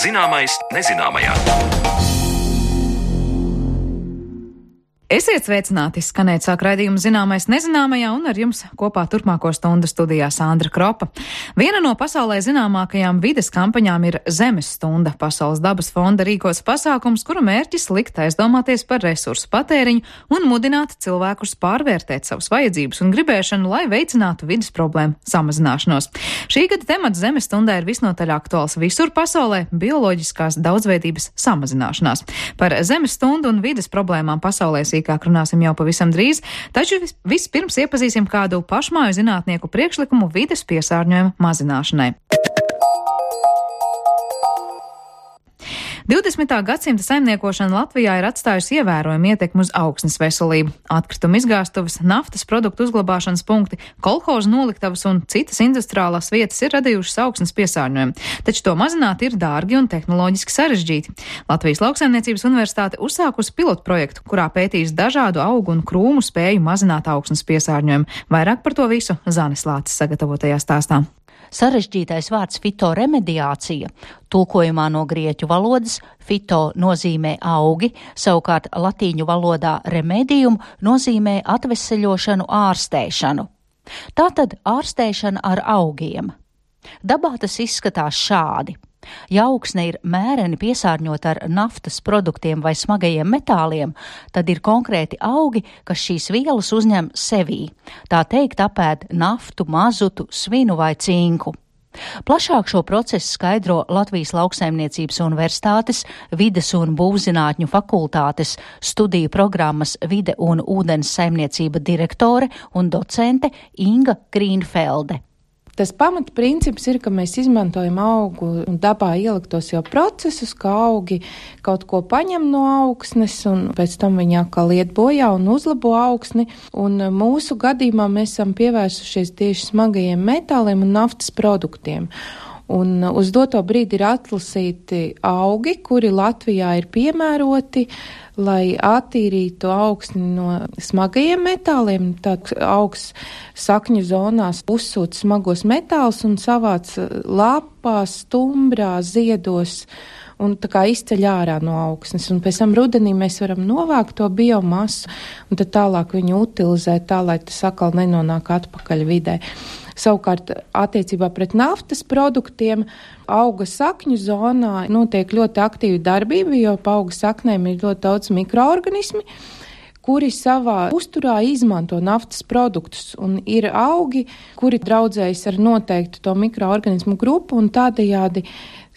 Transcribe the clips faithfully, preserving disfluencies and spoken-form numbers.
Zināmais nezināmajā. Esiet sveicināti, skanēt sāk raidījumu Zināmais nezināmajā, un ar jums kopā turpmāko stundu studijā Sandra Kropa. Viena no pasaulē zināmākajām vides kampaņām ir Zemes stunda. Pasaules dabas fonda rīkots pasākums, kura mērķis likt aizdomāties par resursu patēriņu un mudināt cilvēkus pārvērtēt savas vajadzības un gribēšanu, lai veicinātu vides problēmu samazināšanos. Šī gada temats Zemes stundai ir visnotaļ aktuāls visur pasaulē - bioloģiskās daudzveidības samazināšanās. Par Zemes stundu un vides problēmām pasaulē sīkāk runāsim jau pavisam drīz, taču vis, vispirms iepazīsim kādu pašmāju zinātnieku priekšlikumu vides piesārņojuma mazināšanai. divdesmitā gadsimta saimniekošana Latvijā ir atstājusi ievērojumu ietekmi uz augsnes veselību. Atkrituma izgāstuves, naftas produktu uzglabāšanas punkti, kolhozu noliktavas un citas industriālās vietas ir radījušas augsnes piesārņojumu, taču to mazināt ir dārgi un tehnoloģiski sarežģīti. Latvijas Lauksaimniecības universitāte uzsākusi pilotprojektu, kurā pētīs dažādu augu un krūmu spēju mazināt augsnes piesārņojumu. Vairāk par to visu Zanes Lācis sagatavotajā stāstā. Sarežģītais vārds fitoremediācija, tulkojumā no grieķu valodas fito nozīmē augi, savukārt latīņu valodā remedium nozīmē atveseļošanu, ārstēšanu. Tātad ārstēšana ar augiem. Dabā tas izskatās šādi. Ja augsne ir mēreni piesārņota ar naftas produktiem vai smagajiem metāliem, tad ir konkrēti augi, kas šīs vielas uzņem sevī. Tā teikt, apēd naftu, mazutu, svinu vai cinku. Plašāk šo procesu skaidro Latvijas Lauksaimniecības universitātes vides un būvzinātņu fakultātes studiju programmas vide un ūdens saimniecība direktore un docente Inga Grīnfelde. Tas pamatprincips ir, ka mēs izmantojam augu un dabā ieliktos jau procesus, ka augi kaut ko paņem no augsnes un pēc tam viņi atkal iet bojā un uzlabo augsni. Un mūsu gadījumā mēs esam pievērsušies tieši smagajiem metāliem un naftas produktiem. Un uz doto brīdi ir atlasīti augi, kuri Latvijā ir piemēroti, lai attīrītu augsni no smagajiem metāliem. Tad augs sakņu zonās uzsūta smagos metālus un savāc lapās, stumbrā, ziedos un tā kā izceļ ārā no augsnes. Un pēc tam rudenī mēs varam novākt to biomasu un tad tālāk viņu utilizēt tā, lai tas atkal nenonāk atpakaļ vidē. Savukārt attiecībā pret naftas produktiem auga sakņu zonā notiek ļoti aktīva darbība, jo pa auga saknēm ir ļoti daudz mikroorganismi, kuri savā uzturā izmanto naftas produktus. Un ir augi, kuri draudzējas ar noteiktu to mikroorganismu grupu un tādējādi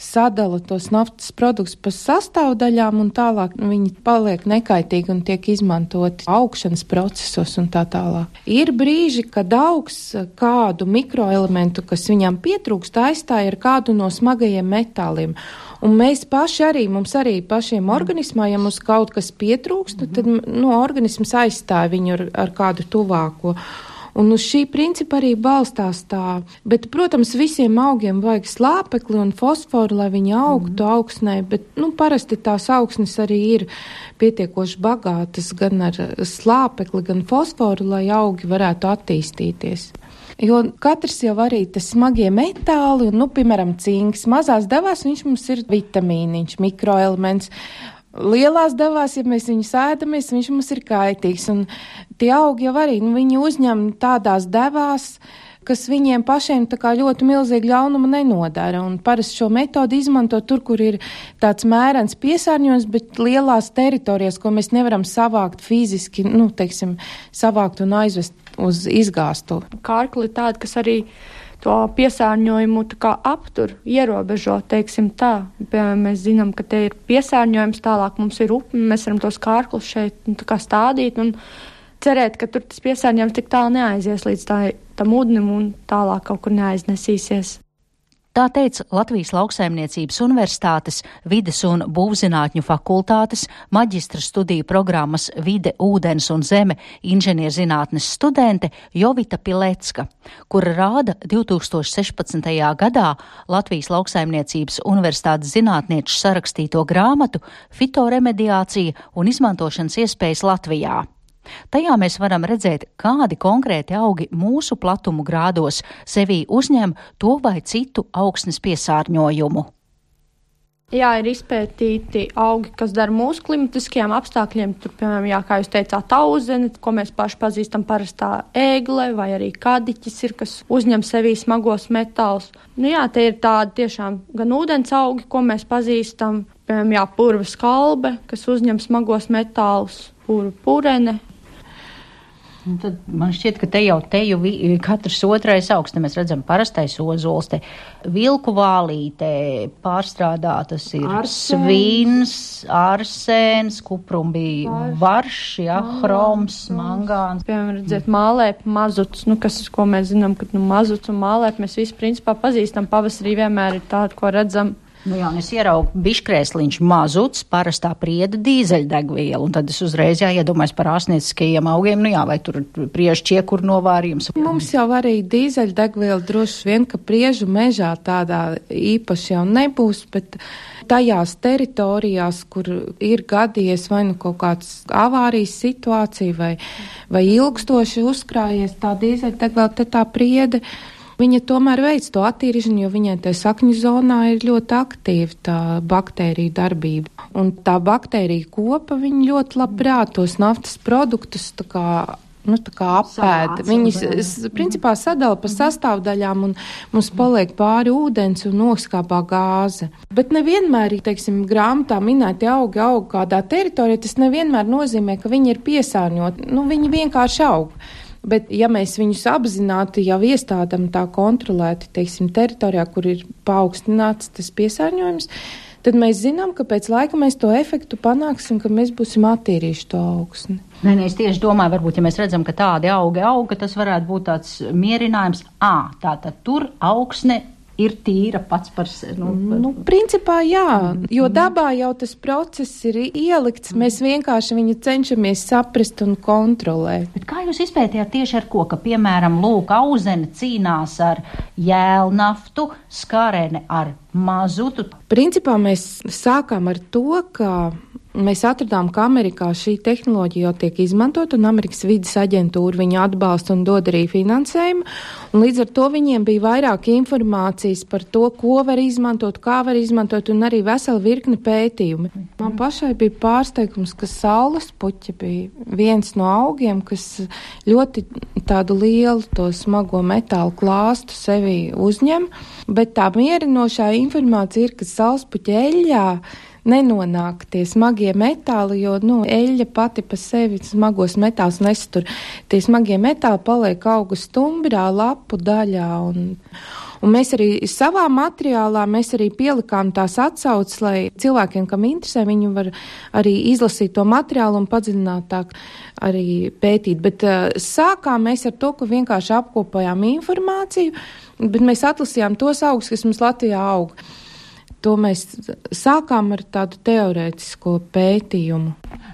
sadala tos naftas produktus pa sastāvdaļām un tālāk viņi paliek nekaitīgi un tiek izmantoti augšanas procesos un tā tālāk. Ir brīži, kad augs kādu mikroelementu, kas viņam pietrūkst, aizstāja ar kādu no smagajiem metāliem. Un mēs paši arī, mums arī pašiem organismā, ja mums kaut kas pietrūkst, tad no organisms aizstāja viņu ar, ar kādu tuvāko. Un uz šī principa arī balstās tā. Bet, protams, visiem augiem vajag slāpekli un fosforu, lai viņi augtu mm. augsnē, bet, nu, parasti tās augsnes arī ir pietiekoši bagātas gan ar slāpekli, gan fosforu, lai augi varētu attīstīties. Jo katrs jau arī tas smagie metāli, un, nu, piemēram, cinks, mazās devās viņš mums ir vitamīniņš, mikroelements. Lielās devās, ja mēs viņu sēdamies, viņš mums ir kaitīgs, un tie augi jau arī, nu, viņi uzņem tādās devās, kas viņiem pašiem tā kā ļoti milzīgi ļaunuma nenodara, un parasti šo metodu izmanto tur, kur ir tāds mērens piesārņojums, bet lielās teritorijas, ko mēs nevaram savākt fiziski, nu, teiksim, savākt un aizvest uz izgāstu. Kārkli ir tāda, kas arī to piesārņojumu tā kā aptur, ierobežo, teiksim tā. Piemēram, mēs zinām, ka te ir piesārņojums, tālāk mums ir upe, mēs varam tos kārklus šeit nu, tā kā stādīt un cerēt, ka tur tas piesārņojums tik tālu neaizies līdz tā, tam ūdenim un tālāk kaut kur neaiznesīsies. Tā teica Latvijas Lauksaimniecības universitātes vides un būvzinātņu fakultātes maģistra studiju programmas vide, ūdens un zeme inženierzinātnes studente Jovita Pilecka, kura rāda divi tūkstoši sešpadsmitajā gadā Latvijas Lauksaimniecības universitātes zinātnieču sarakstīto grāmatu Fitoremediācija un izmantošanas iespējas Latvijā. Tajā mēs varam redzēt, kādi konkrēti augi mūsu platumu grādos sevī uzņem to vai citu augsnes piesārņojumu. Jā, ir izpētīti augi, kas dara mūsu klimatiskajiem apstākļiem. Tur, piemēram, jā, kā jūs teicāt, tauzene, ko mēs paši pazīstam, parastā ēgle, vai arī kadiķis ir, kas uzņem sevī smagos metālus. Nu jā, te ir tādi tiešām gan ūdens augi, ko mēs pazīstam, piemēram, jā, purva skalbe, kas uzņem smagos metālus, purva purene. Un tad man šķiet, ka te jau teju vi, katrs otrais augsts, te mēs redzam parastais ozols, te vilku vālīte pārstrādātas ir Arsēns. svīns, arsēns, kuprumbi, varš, jā, hroms, mangāns. Piemēram, redzēt, mālēp, mazuts, nu, kas, ko mēs zinām, ka nu, mazuts un mālēp mēs visi principā pazīstam, pavasarī vienmēr ir tāda, ko redzam. Nu jā, un es ieraugu biškrēsliņš mazuts, parastā prieda dīzeļdegviela, un tad es uzreiz jāiedomājas par ārstnieciskajiem augiem, nu jā, vai tur priežu ķiekur novārījums. Mums jau arī dīzeļdegviela droši vien, ka priežu mežā tādā īpaši jau nebūs, bet tajās teritorijās, kur ir gadījies vai nu kaut kāds avārijas situācija vai, vai ilgstoši uzkrājies tā dīzeļdegviela, te tā priede, viņa tomēr veic to attīrīšanu, jo viņai te sakņu zonā ir ļoti aktīva tā baktērija darbība. Un tā baktērija kopa, viņa ļoti labprāt tos naftas produktus tā kā, nu, tā kā apēda. Viņas, principā, sadala pa sastāvdaļām un mums paliek pāri ūdens un noskāpā gāze. Bet nevienmēr, teiksim, grāmatā minēti augi aug kādā teritorijā, tas nevienmēr nozīmē, ka viņi ir piesārņoti. Nu, viņi vienkārši aug. Bet, ja mēs viņus apzināti jau iestādam tā kontrolēti, teiksim, teritorijā, kur ir paaugstināts tas piesārņojums, tad mēs zinām, ka pēc laika mēs to efektu panāksim, ka mēs būsim attīrījuši to augsni. Nē, nē, es tieši domāju, varbūt, ja mēs redzam, ka tādi augi auga, tas varētu būt tāds mierinājums, ā, tātad tur augsne ir tīra pats par sevi. Nu, nu, principā jā, jo dabā jau tas process ir ielikts, mēs vienkārši viņu cenšamies saprast un kontrolēt. Bet kā jūs izpētījāt tieši ar ko, ka, piemēram, lūk, auzene cīnās ar jēlnaftu, skarene ar mazutu? Principā mēs sākām ar to, ka mēs atradām, ka Amerikā šī tehnoloģija jau tiek izmantot, un Amerikas vides aģentūra viņu atbalsta un dod arī finansējumu, un līdz ar to viņiem bija vairāk informācijas par to, ko var izmantot, kā var izmantot, un arī vesela virkne pētījumi. Man pašai bija pārsteigums, ka saules puķi bija viens no augiem, kas ļoti tādu lielu to smago metālu klāstu sevi uzņem, bet tā mierinošā informācija ir, ka saules puķa eļļā nenonāk tie smagie metāli, jo, nu, eļļa pati pa sevi smagos metālus nesatur. Tie smagie metāli paliek augu stumbrā, lapu daļā, un, un mēs arī savā materiālā, mēs arī pielikām tās atsauces, lai cilvēkiem, kam interesē, viņi var arī izlasīt to materiālu un padziļinātāk arī pētīt. Bet uh, sākām mēs ar to, ka vienkārši apkopojām informāciju, bet mēs atlasījām tos augus, kas mums Latvijā aug. To mēs sākām ar tādu teorētisko pētījumu.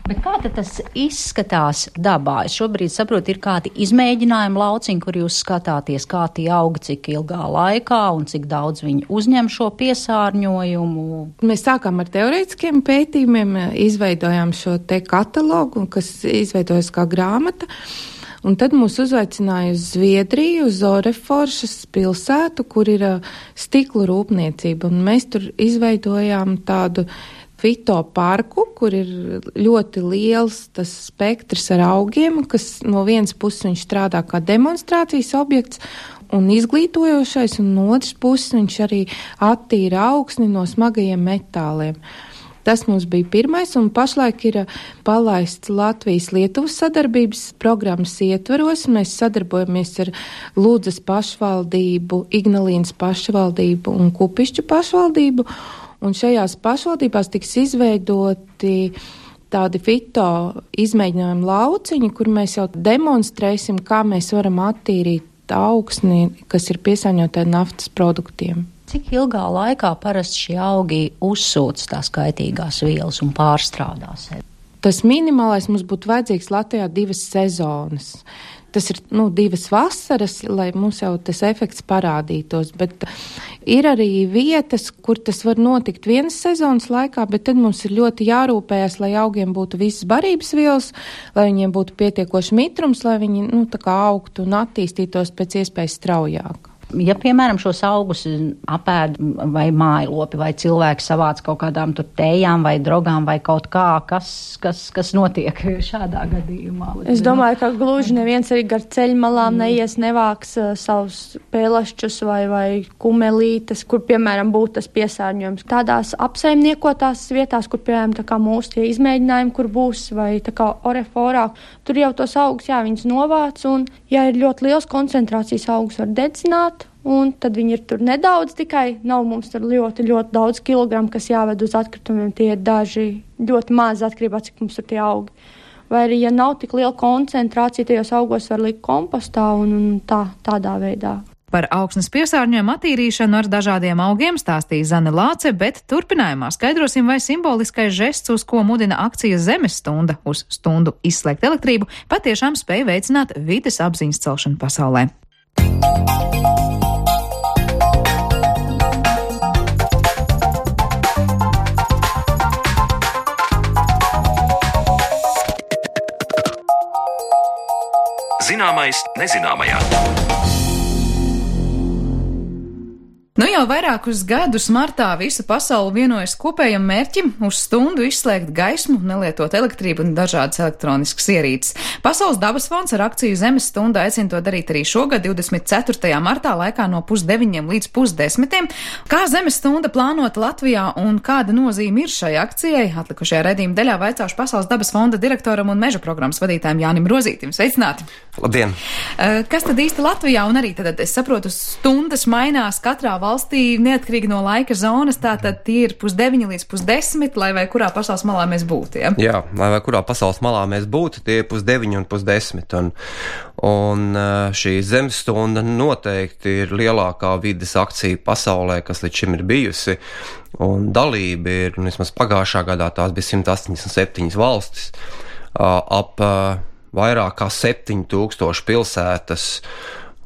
Bet kā tad tas izskatās dabā? Es šobrīd saprotu, ir kādi izmēģinājumi lauciņi, kur jūs skatāties, kā tie auga, cik ilgā laikā un cik daudz viņi uzņem šo piesārņojumu. Mēs sākām ar teorētiskiem pētījumiem, izveidojām šo te katalogu, kas izveidojas kā grāmata. Un tad mūs uzaicināja uz Zviedriju, uz Oreforšas pilsētu, kur ir stiklu rūpniecība. Un mēs tur izveidojām tādu fitoparku, kur ir ļoti liels tas spektrs ar augiem, kas no vienas puses viņš strādā kā demonstrācijas objekts un izglītojošais, un no otras puses viņš arī attīra augsni no smagajiem metāliem. Tas mums bija pirmais, un pašlaik ir palaists Latvijas-Lietuvas sadarbības programmas ietveros. Mēs sadarbojamies ar Ludzas pašvaldību, Ignalīnas pašvaldību un Kupišķu pašvaldību, un šajās pašvaldībās tiks izveidoti tādi fito izmēģinājumu lauciņi, kur mēs jau demonstrēsim, kā mēs varam attīrīt augsni, kas ir piesārņota ar naftas produktiem. Cik ilgā laikā parasti šie augi uzsūc tās kaitīgās vielas un pārstrādā sevi? Tas minimālais mums būtu vajadzīgs Latvijā divas sezonas. Tas ir, nu, divas vasaras, lai mums jau tas efekts parādītos, bet ir arī vietas, kur tas var notikt vienas sezonas laikā, bet tad mums ir ļoti jārūpējas, lai augiem būtu visas barības vielas, lai viņiem būtu pietiekoši mitrums, lai viņi, nu, tā kā augtu un attīstītos pēc iespējas straujāk. Ja, piemēram, šos augus apēd vai mājlopi, vai cilvēki savāc kaut kādām tur tējām vai drogām vai kaut kā, kas, kas, kas notiek šādā gadījumā? Es domāju, ka gluži neviens arī gar ceļmalām neies, nevāks uh, savus pēlašķus vai, vai kumelītes, kur, piemēram, būtu tas piesārņojums. Tādās apsaimniekotās vietās, kur, piemēram, tā kā mūsu tie izmēģinājumi, kur būs, vai tā kā oreforā, tur jau tos augus, jā, viņus novāc, un, ja ir ļoti liels koncentrācijas augus, var dedzināt, un tad viņi ir tur nedaudz tikai, nav mums tur ļoti, ļoti daudz kilogramu, kas jāved uz atkritumiem, tie ir daži ļoti maz atkarībā, cik mums tur tie augi. Vai arī, ja nav tik liela koncentrācija, tajos augos var likt kompostā un, un tā, tādā veidā. Par augsnes piesārņojumu attīrīšanu ar dažādiem augiem stāstīja Zane Lāce, bet turpinājumā skaidrosim, vai simboliskais žests, uz ko mudina akcija Zemes stunda uz stundu izslēgt elektrību, patiešām spēj veicināt vides apziņas celšanu pasaulē. Zināmais nezināmajā. Nu jau vairākus gadus martā visa pasaule vienojas kopējam mērķim uz stundu izslēgt gaismu, nelietot elektrību un dažādas elektroniskas ierīces. Pasaules dabas fonds ar akciju Zemes stunda aicina to darīt arī šogad, divdesmit ceturtajā martā, laikā no pusdeviņiem līdz pusdesmitiem. Kā Zemes stunda plānota Latvijā un kāda nozīme ir šai akcijai? Atlikušajā redzījuma daļā vaicāšu Pasaules dabas fonda direktoram un meža programmas vadītājam Jānim Rozītim. Sveicināti! Labdien! Kas tad īsti Latvijā un arī tad, es saprotu, stundas mainās katrā valstī neatkarīgi no laika zonas, tātad tie ir pusdeviņi līdz pusdesmit, lai vai kurā pasaules malā mēs būtu, ja? Jā, lai vai kurā pasaules malā mēs būtu, tie ir pusdeviņi un pusdesmit. Un, un šī Zemes stunda noteikti ir lielākā vides akcija pasaulē, kas līdz šim ir bijusi. Un dalība ir, un vismaz pagājušā gadā tās bija simt astoņdesmit septiņas valstis, ap vairāk kā septiņi tūkstoši pilsētas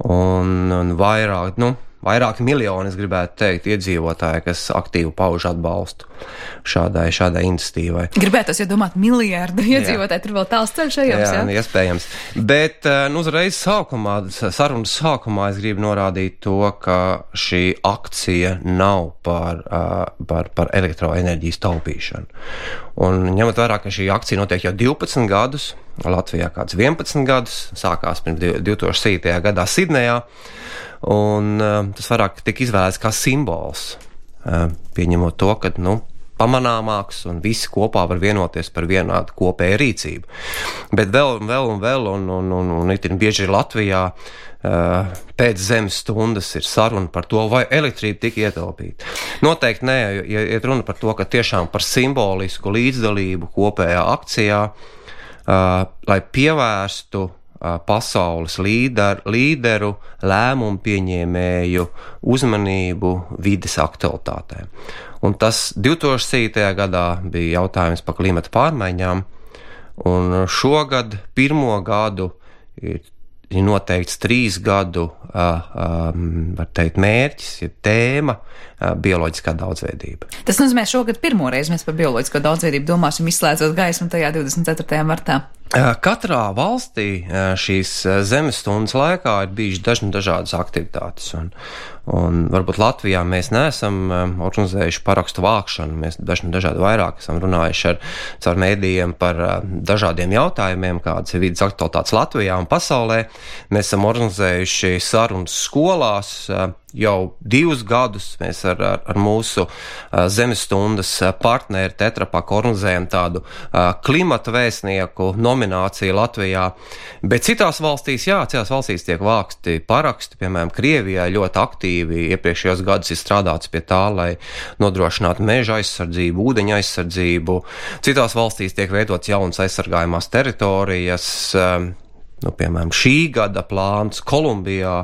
un, un vairāk, nu, vairāki miljoni, es gribētu teikt, iedzīvotāji, kas aktīvi pauž atbalstu šādai, šādai iniciatīvai. Gribētos, ja domāt, miljārdu iedzīvotāji, tur vēl tāls ceļš ejams, jā? Jā, iespējams. Bet, nu, uzreiz sākumā, sarunas sākumā es gribu norādīt to, ka šī akcija nav par, par, par elektroenerģijas taupīšanu. Un ņemot vērā, ka šī akcija notiek jau divpadsmit gadus, Latvijā kāds vienpadsmit gadus, sākās pirms divi tūkstoši septītajā gadā Sidnejā, un uh, tas vairāk tika izvēlēts kā simbols, uh, pieņemot to, ka, nu, pamanāmāks un visi kopā var vienoties par vienādu kopēju rīcību. Bet vēl un vēl un vēl, un, un, un, un itin bieži Latvijā uh, pēc Zemes stundas ir saruna par to, vai elektrība tika ietaupīta. Noteikti nē, ja iet runa par to, ka tiešām par simbolisku līdzdalību kopējā akcijā, Uh, lai pievērstu uh, pasaules līder, līderu lēmumu pieņēmēju uzmanību vides aktualitātēm. Un tas divi tūkstoši septītajā gadā bija jautājums par klimata pārmaiņām, un šogad pirmo gadu ir noteikts trīs gadu, uh, um, var teikt, mērķis, ir tēma uh, bioloģiskā daudzveidība. Tas nozīmē, šogad pirmoreiz mēs par bioloģisko daudzveidību domāsim izslēdzot gaismu tajā divdesmit ceturtajā martā. Katrā valstī šīs Zemes stundas laikā ir bijušas dažna dažādas aktivitātes, un, un varbūt Latvijā mēs neesam organizējuši parakstu vākšanu, mēs dažna dažādi vairāk esam runājuši ar caur mēdījiem par dažādiem jautājumiem, kādas ir vidas aktualitātes Latvijā un pasaulē. Mēs esam organizējuši sarunas skolās, jau divus gadus mēs ar, ar, ar mūsu uh, Zemes stundas partneri Tetra Pak organizējam tādu uh, klimata vēstnieku nomināciju Latvijā, bet citās valstīs, jā, citās valstīs tiek vāksti paraksti, piemēram, Krievijā ļoti aktīvi iepriekšējos gadus ir strādāts pie tā, lai nodrošinātu meža aizsardzību, ūdeņa aizsardzību. Citās valstīs tiek veidots jaunas aizsargājumās teritorijas. Um, Nu, piemēram, šī gada plāns Kolumbijā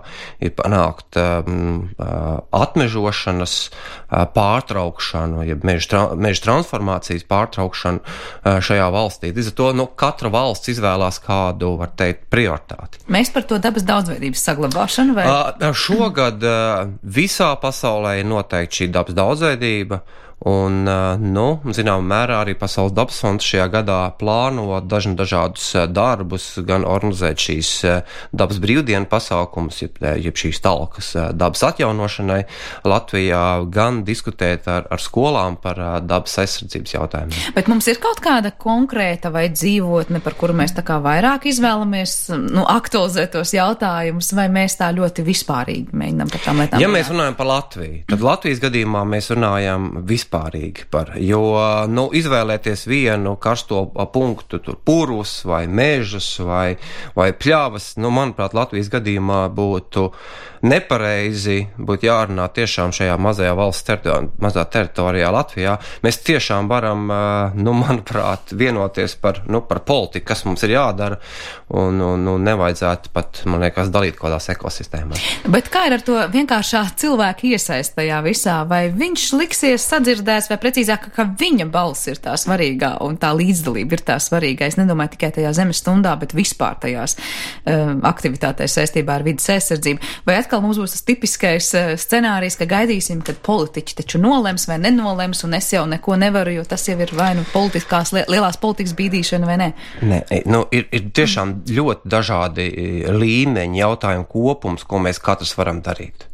ir panākt um, atmežošanas uh, pārtraukšanu, ja meža, tra meža transformācijas pārtraukšanu uh, šajā valstī. Līdz ar to, nu, katra valsts izvēlās kādu, var teikt, prioritāti. Mēs par to dabas daudzveidības saglabāšanu vai? Uh, šogad uh, visā pasaulē ir noteikti šī dabas daudzveidība, Un, nu, zinām mērā arī Pasaules dabas fonds šajā gadā plāno dažni dažādus darbus, gan organizēt šīs dabas brīvdienu pasākumus, jeb, jeb šīs talkas dabas atjaunošanai Latvijā, gan diskutēt ar, ar skolām par dabas aizsardzības jautājumiem. Bet mums ir kaut kāda konkrēta vai dzīvotne, par kuru mēs tā kā vairāk izvēlamies, nu, aktualizēt tos jautājumus, vai mēs tā ļoti vispārīgi mēģinām par tām lietām? Ja mēs runājam par Latviju, tad Latvijas gadījumā mēs runājam vispārīgi par, jo, nu, izvēlēties vienu karsto punktu, tur purvus vai mežus vai, vai pļavas, nu, manuprāt, Latvijas gadījumā būtu nepareizi, būtu jārunā tiešām šajā mazajā valsts teritorijā, mazā teritorijā Latvijā. Mēs tiešām varam, nu, manuprāt, vienoties par, nu, par politiku, kas mums ir jādara, un, un, un nevajadzētu pat, man liekas, dalīt kādās ekosistēmās. Bet kā ir ar to vienkāršā cilvēka iesaist tajā visā? Vai viņš liksies sadzirdēts, vai precīzāk, ka viņa balss ir tā svarīgā un tā līdzdalība ir tā svarīgā? Es nedomāju tikai tajā zemes stundā, bet vispār tajās um, aktivitātēs saistībā ar vidas aizsardzību. Vai atkal mums būs tas tipiskais uh, scenārijs, ka gaidīsim, kad politiķi taču nolems vai nenolems, un es jau neko nevaru, jo tas jau ir vai nu politiskās, lielās politikas bīdīšana vai ne? Nē, nu, ir, ir tiešām ļoti dažādi līmeņi, jautājumu kopums, ko mēs katrs varam darīt.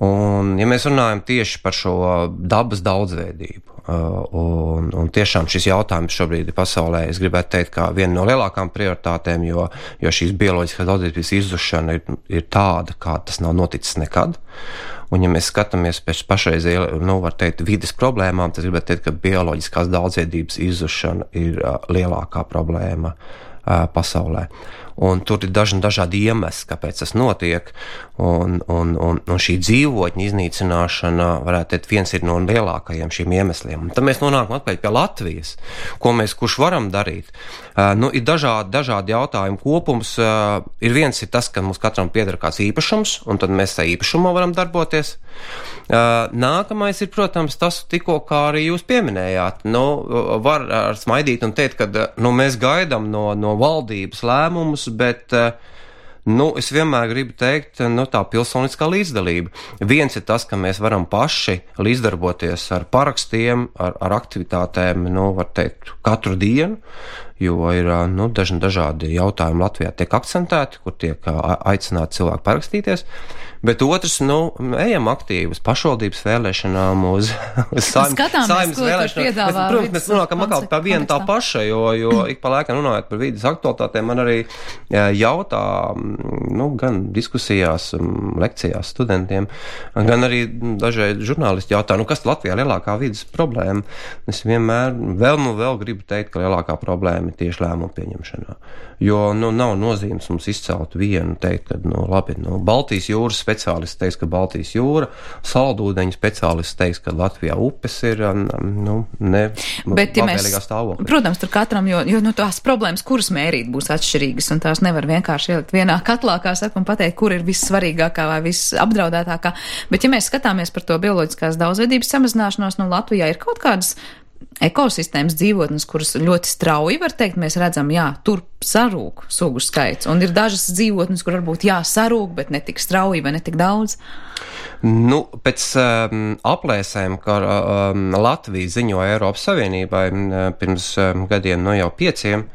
Un, ja mēs runājam tieši par šo dabas daudzveidību, un, un tiešām šis jautājums šobrīd pasaulē, es gribētu teikt, kā viena no lielākām prioritātēm, jo, jo šīs bioloģiskās daudzveidības izzušana ir, ir tāda, kā tas nav noticis nekad. Un, ja mēs skatāmies pēc pašreizēji, nu, var teikt, vides problēmām, tad gribētu teikt, ka bioloģiskās daudzveidības izzušana ir uh, lielākā problēma uh, pasaulē. Un tur ir dažni dažādi iemesli, kāpēc tas notiek, un, un, un, un šī dzīvotņa iznīcināšana, varētu teikt, viens ir no lielākajiem šiem iemesliem. Un tad mēs nonākam atpakaļ pie Latvijas, ko mēs kurš varam darīt. Uh, nu, ir dažādi, dažādi jautājumu kopums. Uh, ir viens ir tas, ka mums katram pieder kāds īpašums, un tad mēs tā īpašumā varam darboties. Uh, nākamais ir, protams, tas tikko, kā arī jūs pieminējāt. Nu, var ar smaidīt un teikt, ka nu, mēs gaidām no, no valdības lēmumus, bet, nu, es vienmēr gribu teikt, nu, tā pilsoniskā līdzdalība. Viens ir tas, ka mēs varam paši līdzdarboties ar parakstiem, ar, ar aktivitātēm, nu, var teikt, katru dienu, jo ir, nu, dažni dažādi jautājumi Latvijā tiek akcentēti, kur tiek aicināti cilvēki parakstīties. Bet otrs, nu, ejam aktīvi uz pašvaldības vēlēšanām, uz, uz saimnes vēlēšanām. Mēs, protams, mēs runājam atkal par vienu tā paša, jo, jo ik pa laikam runājot par vīdes aktualitātēm, man arī jautā, nu, gan diskusijās, lekcijās studentiem, gan arī dažreiz žurnālisti jautā, nu, kas Latvijā lielākā vīdes problēma? Es vienmēr vēl nu vēl gribu teikt, ka lielākā problēma ir tieši lēmumu pieņemšanā. Jo, nu, nav nozīmes mums izcelt vienu, teikt, ka, nu, labi, nu, Baltijas jūras speciālists teiks, ka Baltijas jūra, saldūdeņu speciālists teiks, ka Latvijā upes ir, nu, ne, bet, ja mēs, stāvoklī. Protams, tur katram, jo, jo, nu, tās problēmas, kuras mērīt, būs atšķirīgas, un tās nevar vienkārši ielikt vienā katlā, kā saka, un pateikt, kur ir vissvarīgākā vai visapdraudētākā. Bet, ja mēs skatāmies par to bioloģiskās daudzveidības samazināšanos, nu, Latvijā ir kaut kādas ekosistēmas dzīvotnes, kuras ļoti strauji, var teikt, mēs redzam, jā, tur sarūk sugu skaits, un ir dažas dzīvotnes, kur varbūt jā, sarūk, bet ne tik strauji vai ne tik daudz. Nu, pēc um, aplēsēm, ka um, Latvija ziņoja Eiropas Savienībai um, pirms um, gadiem, no jau pieciem,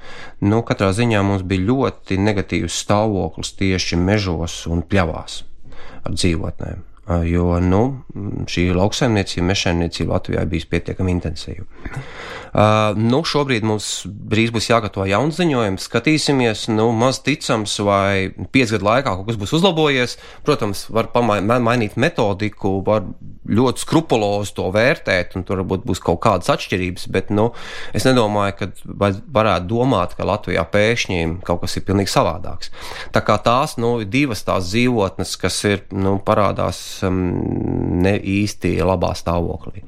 nu, katrā ziņā mums bija ļoti negatīvs stāvoklis tieši mežos un pļavās ar dzīvotnēm. Jo, nu, šī lauksaimniecība, mežsaimniecība Latvijā bijis pietiekami intensīva. Uh, nu, šobrīd mums drīz būs jāgatavo jauns ziņojums, skatīsimies, nu, maz ticams, vai piecu gadu laikā kaut kas būs uzlabojies. Protams, var mainīt metodiku, var ļoti skrupulozi to vērtēt, un tur varbūt būs kaut kādas atšķirības, bet, nu, es nedomāju, ka varētu domāt, ka Latvijā pēkšņi kaut kas ir pilnīgi savādāks. Tā kā tās, nu, divas tās dzīvotnes, kas ir, nu, parādās ne īsti labā stāvoklī.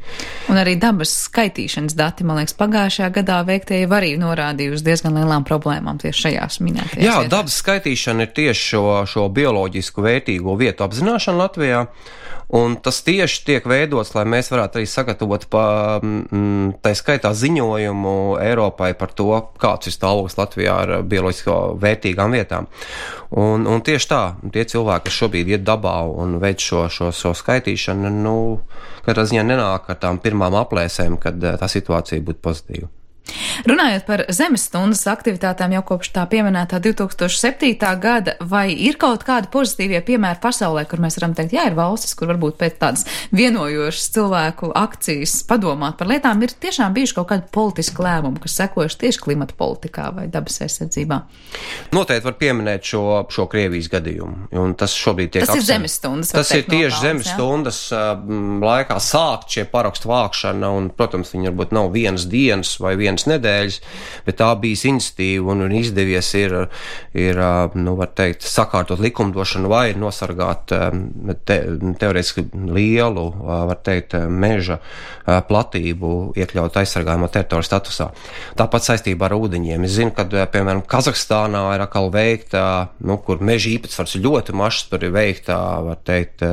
Un arī dabas skaitīšanas dati, man liekas, pagājušajā gadā veiktie jau arī norādīja uz diezgan lielām problēmām tieši šajās minētajās. Jā, vietās. Dabas skaitīšana ir tieši šo, šo bioloģisku vērtīgo vietu apzināšana Latvijā. Un tas tieši tiek veidots, lai mēs varētu arī sagatavot pa, m, tā skaitā ziņojumu Eiropai par to, kāds ir stāvoklis Latvijā ar bioloģisko vērtīgām vietām. Un, un tieši tā, tie cilvēki, kas šobrīd iet dabā un veic šo, šo, šo skaitīšanu, nu, katrā ziņā nenāk ar tām pirmām aplēsēm, kad tā situācija būtu pozitīva. Runājot par zemes stundas aktivitātēm jau kopš tā pieminētā divi tūkstoši septītā gada, vai ir kaut kādi pozitīvie piemēri pasaulē, kur mēs varam teikt, jā, ir valstis, kur varbūt pēc tādas vienojošas cilvēku akcijas padomāt par lietām, ir tiešām bijuši kaut kādi politiski lēmumi, kas sekojuši tieši klimata politikā vai dabas aizsardzībā? Noteikti var pieminēt šo, šo Krievijas gadījumu, un tas šobrīd tiek Tas akcent... ir zemes stundas. Tas ir tieši zemes stundas uh, laikā sākt šie parakstu vākšana, un, protams, viņi varbūt nav vienas dienas vai vienas nedēļas, bet tā bija iniciatīva un, un izdevies ir, ir, nu, var teikt, sakārtot likumdošanu vai nosargāt te, teorētiski lielu, var teikt, meža platību iekļaut aizsargājumā teritoriju statusā. Tāpat saistībā ar ūdeņiem. Es zinu, ka, piemēram, Kazahstānā ir atkal veikta, nu, kur meža īpatsvars ir ļoti mašs, tur ir veikta, var teikt,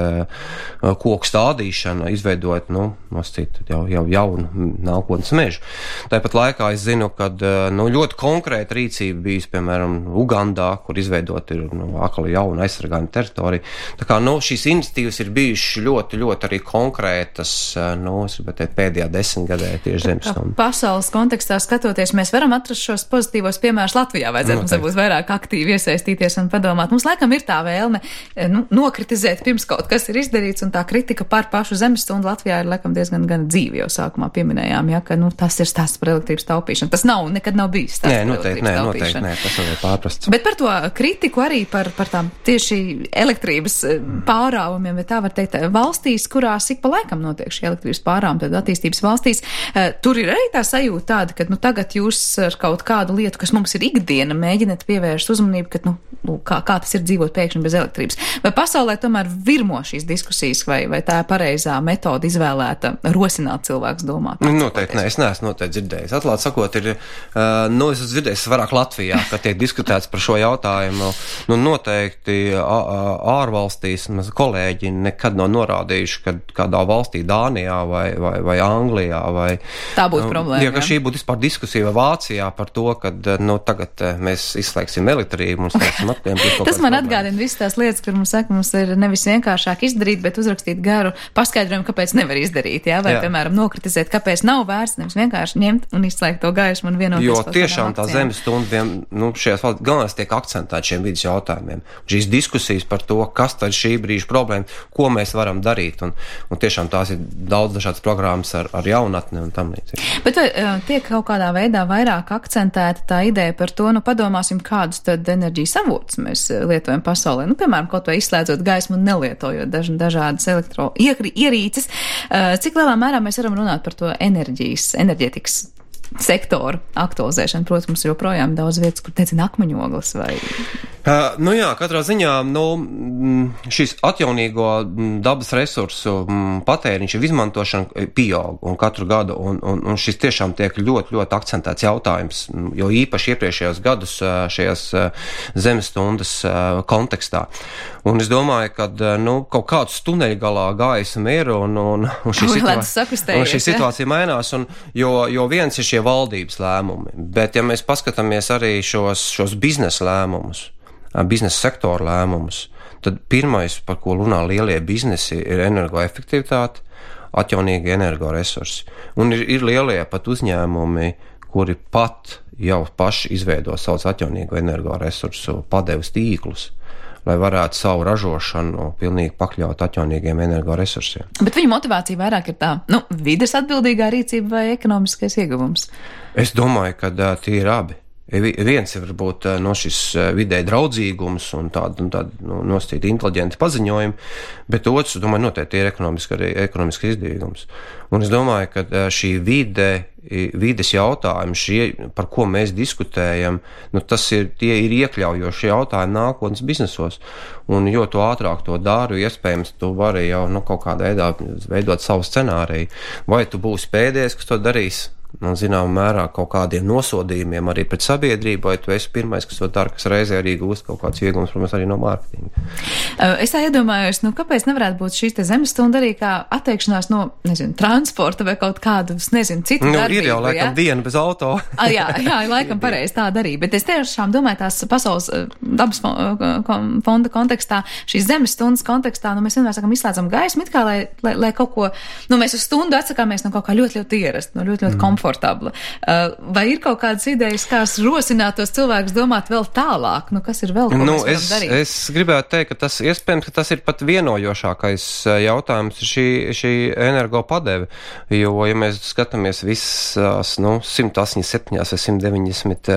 koku stādīšana, izveidot, nu, noscīt jau, jau jaunu nākotnes mežu. Tāpat laikā es zinu, ka nu, ļoti konkrēta rīcība bijis, piemēram, Ugandā, kur izveidot ir nu, atkal jauna aizsargājuma teritorija. Tā kā nu, šīs iniciatīvas ir bijušas ļoti, ļoti arī konkrētas, nu, es gribētu teikt, pēdējā desmitgadē tieši zemes stundu. Pasaules kontekstā skatoties, mēs varam atrast šos pozitīvos piemērus Latvijā. Vajadzētu mums varbūt vairāk aktīvi iesaistīties un padomāt. Mums laikam ir tā vēlme nu, nokritizēt pirms kaut kas ir izdarīts, un tā kritika par pašu zemes stundu Latvijā ir laikam diezgan gan dzīvi, jau sākumā pieminējām, ja, ka nu, tas ir stāsts par elektrības taupīšanu. Tas nav, nekad nav bijis tāds. Nē, noteikti, nē, noteikti, nē, tas nav pārprasts. Bet par to kritiku arī par, par tām tieši elektrības pārāvumiem, vai tā var teikt, valstīs, kurās ik pa laikam notiek šī elektrības pārāvuma, tad attīstības valstīs, tur ir arī tā sajūta tāda, ka, nu, tagad jūs ar kaut kādu lietu, kas mums ir ikdiena, mēģināt pievērst uzmanību, ka, nu, nu kā, kā tas ir dzīvot pēkšņi bez elektrības. Vai pasaulē tomēr virmo šīs diskusijas, vai, vai tā ir pareizā metoda izvēlēta rosināt cilvēks domāt? Nu, noteikti, nē, es neesmu noteikti dzirdējis. Atklāt sakot, ir, uh, nu, es esmu dzirdējis vairāk Latvijā, ka tiek diskutēts par šo jautājumu. Nu, noteikti ārvalstīs maz kolēģi nekad nav norādījuši, ka kādā valstī Dānijā vai, vai, vai Anglijā vai... Tā būtu problēma. Jā, ka šī būtu vispār diskusija vai Vācijā par to, ka, nu, tagad mēs izslēgsim elektrību un slēgsim atpiem. Tas man atgādina visas tās lietas, kur mums saka, mums ir nevis vienkāršāk izdarīt, bet uzrakstīt garu paskaidrojumu, kāpēc nevar izdarīt, jā? Vai, jā. Piemēram, nokritizēt, kāpēc nav vērts, nevis vienkārši ņemt un izslēgt to gaismu un vienoties. Jo tiešām tā zemes stunda, nu, šajās valsts galvenais tiek akcentēt šiem vidas jautājumiem. Šīs diskusijas par to, kas tad šī brīža problēma, ko mēs varam darīt, un, un tiešām tās ir daudz dažādas programmas ar, ar jaunatni un tam līdzīgi. Bet vai tiek kaut kādā veidā vairāk akcentēta tā ideja par to, nu, padomāsim, kādus tad enerģijas avotus mēs lietojam pasaulē, nu, piemēram, kaut vai izslēdzot gaismu un nelietojot daž, dažādas elektro ierīces, cik lielā mērā mēs varam runāt par to enerģijas, enerģētikas sektoru aktualizēšanu. Protams, joprojām daudz vietas, kur teicina akmeņogles vai... Uh, nu jā, katrā ziņā, nu, šis atjaunīgo dabas resursu patēriņš ir izmantošana pieaug un katru gadu, un, un, un šis tiešām tiek ļoti, ļoti akcentēts jautājums, jo īpaši iepriekšējos gadus šajās zemes stundas kontekstā. Un es domāju, ka, nu, kaut kāds tuneļu galā gaisma ir, un, un, un šī, situā... un šī situācija mainās, un, jo, jo viens ir šie valdības lēmumi, bet ja mēs paskatāmies arī šos, šos biznesa lēmumus, biznesa sektora lēmumus, tad pirmais, par ko runā lielie biznesi, ir energoefektivitāte, atjaunīgi energoresursi. Un ir, ir lielie pat uzņēmumi, kuri pat jau paši izveido savus atjaunīgo energoresursu padeves tīklus, lai varētu savu ražošanu pilnīgi pakļaut atjaunīgiem energoresursiem. Bet viņu motivācija vairāk ir tā, nu, vides atbildīgā rīcība vai ekonomiskais ieguvums? Es domāju, ka uh, tie ir abi. Viens ir varbūt uh, no šis uh, vidē draudzīgums un tāda, un tāda nu, nosacīta inteliģenta paziņojuma, bet otrs, domāju, noteikti ir ekonomiski arī ekonomiski izdevīgums. Un es domāju, ka uh, šī vide, vides jautājumi, šie, par ko mēs diskutējam, nu, tas ir, tie ir iekļaujoši jautājumi nākotnes biznesos. Un jo tu ātrāk to dari, iespējams, tu vari jau nu, kaut kādā veidā veidot savu scenāriju. Vai tu būsi pēdējais, kas to darīs? un zināmā mērā kaut kādiem nosodījumiem arī pret sabiedrību, vai tu esi pirmais, kas to dara, kas reizē arī gūst kaut kāds iegums, protams, arī no mārketinga. Es tā iedomājos, nu, kāpēc nevarētu būt šīs te zemes stunda arī kā atteikšanās no, nezinu, transporta vai kaut kādu, nezinu, citu nu, darbību, ir jau laikam ja? diena bez auto. A, jā, jā, laikam pareizi tā darīja, bet es tiešām domāju tās pasaules dabas fonda kontekstā, šīs zemes stundas kontekstā, nu, mēs vienmēr sakam, izslēdzam gaismu, it kā, lai, lai, lai kaut ko, nu, mēs uz stundu atsakāmies no kaut kā ļoti, ļoti ierast, no ļoti, ļoti mm. komfortabla. Vai ir kaut kādas idejas, kā rosināt tos cilvēkus domāt vēl tālāk? Nu, kas ir vēl, ko nu, mēs varam es, darīt? Es gribētu teikt, ka tas iespējams, ka tas ir pat vienojošākais jautājums šī, šī energo padeve, jo, ja mēs skatāmies visās, nu, simt astoņdesmit septiņās vai simt deviņdesmit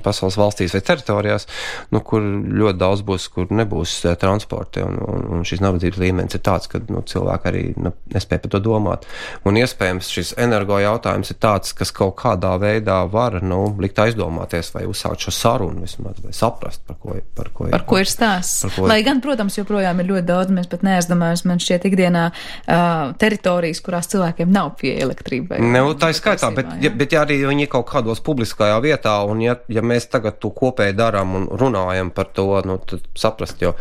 pasaules valstīs vai teritorijās, nu, kur ļoti daudz būs, kur nebūs transporti, un, un, un šis nabadzības līmenis ir tāds, ka, nu, cilvēki arī, nu, nespēja par to domāt. Un iespējams šis energo jautājums ir tāds, kas kaut kādā veidā var, nu, likt aizdomāties vai uzsākt šo sarunu vismaz, vai saprast, par ko, par ko ir. Par ko ir stāsts. Ko Lai gan, protams, joprojām ir ļoti daudz, mēs pat neaizdomājamies, man šķiet ikdienā uh, teritorijas, kurās cilvēkiem nav pieeja elektrībai. Ne, tā ir skaitā, bet, ja, bet ja arī viņi kaut kādos publiskajā vietā, un ja, ja mēs tagad to kopēji darām un runājam par to, nu, tad saprast, jo,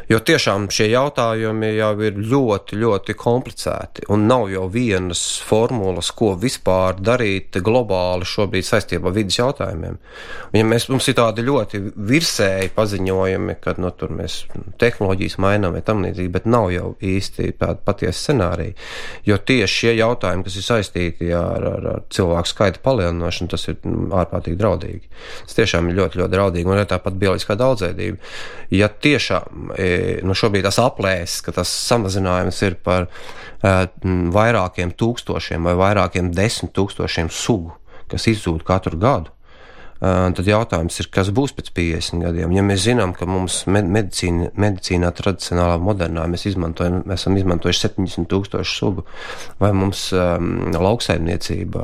jo tiešām šie jautājumi jau ir ļoti, ļoti komplicēti, un nav jau vienas formulas, ko vispār darīt globāli šobrīd saistībā ar vidas jautājumiem. Un ja mēs, mums ir tādi ļoti virsēji paziņojumi, kad, nu, tur mēs tehnoloģijas mainām vai tam līdzīgi, bet nav jau īsti tāda patiesa scenārija, jo tieši šie jautājumi, kas ir saistīti ar, ar, ar cilvēku skaita palielināšanu, tas ir ārprātīgi draudīgi. Tas tiešām ir ļoti, ļoti draudīgi, un ir tāpat bioloģiskā daudzveidība. Ja tiešām, nu, šobrīd tas aplēs, ka tas samazinājums ir par uh, vairākiem tūkstošiem vai vairākiem desmit tūkstošiem sugu, kas izzūd katru gadu, Uh, tad jautājums ir, kas būs pēc piecdesmit gadiem. Ja mēs zinām, ka mums med- medicīna, medicīnā tradicionālā modernā mēs izmantojam, mēs esam izmantojuši septiņdesmit tūkstošu sugu, vai mums um, lauksaimniecība,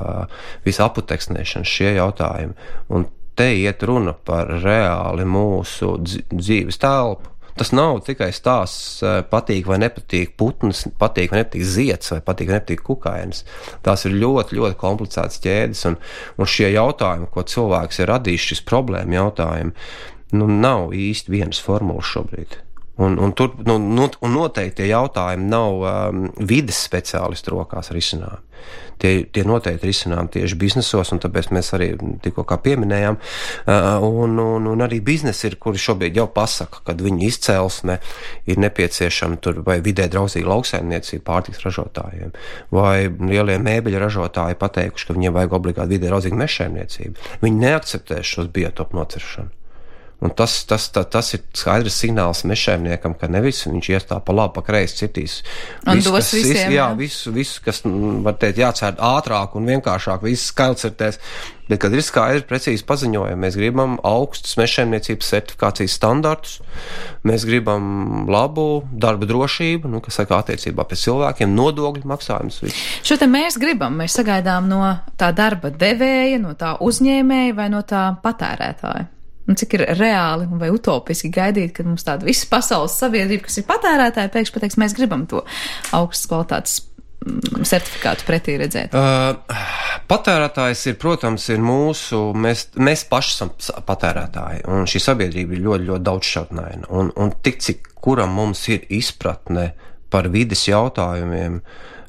visa aputeksnēšana, šie jautājumi. Un te iet runa par reāli mūsu dzīves telpu. Tas nav tikai stāsts patīk vai nepatīk putns, patīk vai nepatīk zieds vai patīk vai nepatīk kukainis. Tās ir ļoti, ļoti komplicētas ķēdes, un, un šie jautājumi, ko cilvēks ir radījis, šis problēma jautājumi, nu, nav īsti vienas formulas šobrīd. Un, un, tur, nu, nu, un noteikti tie jautājumi nav um, vides speciālistu rokās risinājumi. Tie, tie noteikti risinājumi tieši biznesos, un tāpēc mēs arī tikko kā pieminējām, uh, un, un, un arī biznesi ir, kuri šobrīd jau pasaka, kad viņu izcelsme ir nepieciešama tur vai vidē draudzīga lauksaimniecība pārtiks ražotājiem, vai lielie mēbeļu ražotāji pateikuši, ka viņiem vajag obligāti vidē draudzīga mežsaimniecība. Viņi neakceptēs šos biotopu nociršanu. Un tas, tas, tas, tas ir skaidrs signāls mežsaimniekam, ka nevis viņš ies tā pa labi, pa kreisi citīs. Un visu, dos kas, visiem, visu, jā, jā. visu, visu, kas, var teikt, jācērt ātrāk un vienkāršāk, viss skailcertēs. Bet, kad ir skaidri, precīzi paziņojumi, mēs gribam augstus mežsaimniecības certifikācijas standartus, mēs gribam labu darba drošību, nu, kas saka attiecībā pēc cilvēkiem, nodokļu maksājumus. Šo te mēs gribam, mēs sagaidām no tā darba devēja, no tā uzņēmēja vai no tā patērētāja. Un cik ir reāli vai utopiski gaidīt, kad mums tāda visa pasaules sabiedrība, kas ir patērētāji, pēkšņi pateiks, mēs gribam to augstas kvalitātes certifikātu pretī redzēt? Uh, patērētājs ir, protams, ir mūsu, mēs, mēs paši esam patērētāji, un šī sabiedrība ir ļoti, ļoti daudzšķautnaina. Un, un tik, cik kuram mums ir izpratne par vides jautājumiem,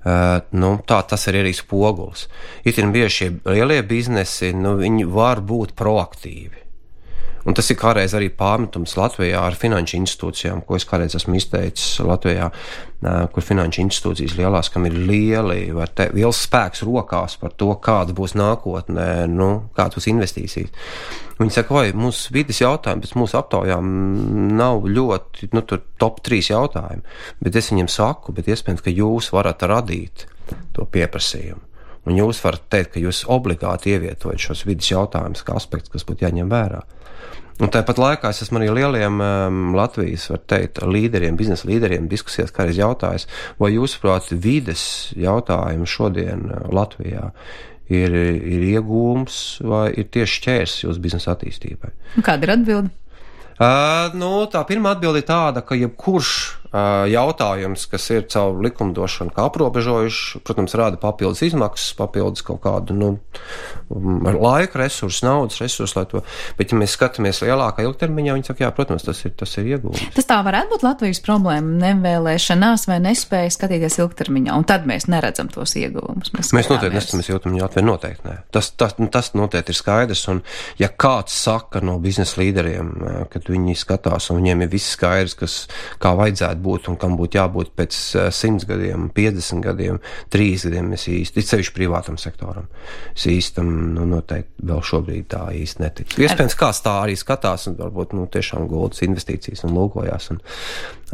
Uh, nu, tā tas ir arī spogulis. Itin bieži šie lielie biznesi, nu, viņi var būt proaktīvi. Un tas ir kādreiz arī pārmetums Latvijā ar finanšu institūcijām, ko es kādreiz esmu izteicis Latvijā, kur finanšu institūcijas lielās, kam ir lieli, vai te, liels spēks rokās par to, kāda būs nākotnē, nu, kāda būs investīcijas. Viņi saka, vai mūsu vides jautājumi pēc mūsu aptaujām nav ļoti, nu, tur top trīs jautājumi, bet es viņiem saku, bet iespējams, ka jūs varat radīt to pieprasījumu. Un jūs varat teikt, ka jūs obligāti ievietojat šos vides jautājumus kā aspekts, kas būtu jāņem vērā. Un tāpat laikā es esmu arī lieliem um, Latvijas, var teikt, līderiem, biznesa līderiem diskusijās kādreiz jautājis, vai jūsuprāt vides jautājumi šodien Latvijā ir, ir iegūms vai ir tieši šķērs jūsu biznesa attīstībai? Un kāda ir atbilde? Uh, nu, tā pirmā atbilde ir tāda, ka jebkurš jautājums, kas ir caur likumdošanu kā aprobežojuši, protams, rāda papildus izmaksas, papildus kaut kādu, nu, laika resursu, naudas resursu, lai to, bet ja mēs skatāmies lielākā ilgtermiņā, viņi saka, jā, protams, tas ir, tas ir iegūms. Tas tā varētu būt Latvijas problēma, nevēlēšanās vai nespēja skatīties ilgtermiņā, un tad mēs neredzam tos iegūmus. Mēs, mēs noteikti neskatāmies ilgtermiņā, atvēr noteikti nē. Tas, tas, tas noteikti ir skaidrs, un ja kāds saka no biznesa līderiem, kad viņi skatās, un viņiem ir viss skaidrs, kas, kā vajadzētu būt un kam būtu jābūt pēc simts gadiem, piecdesmit gadiem, trīs gadiem, es īsti, it sevišķi privātam sektoram. Es īstam, nu, noteikti vēl šobrīd tā īsti neticu. Iespējams, kāds tā arī skatās un varbūt, nu, tiešām guldas investīcijas un lūkojās, un,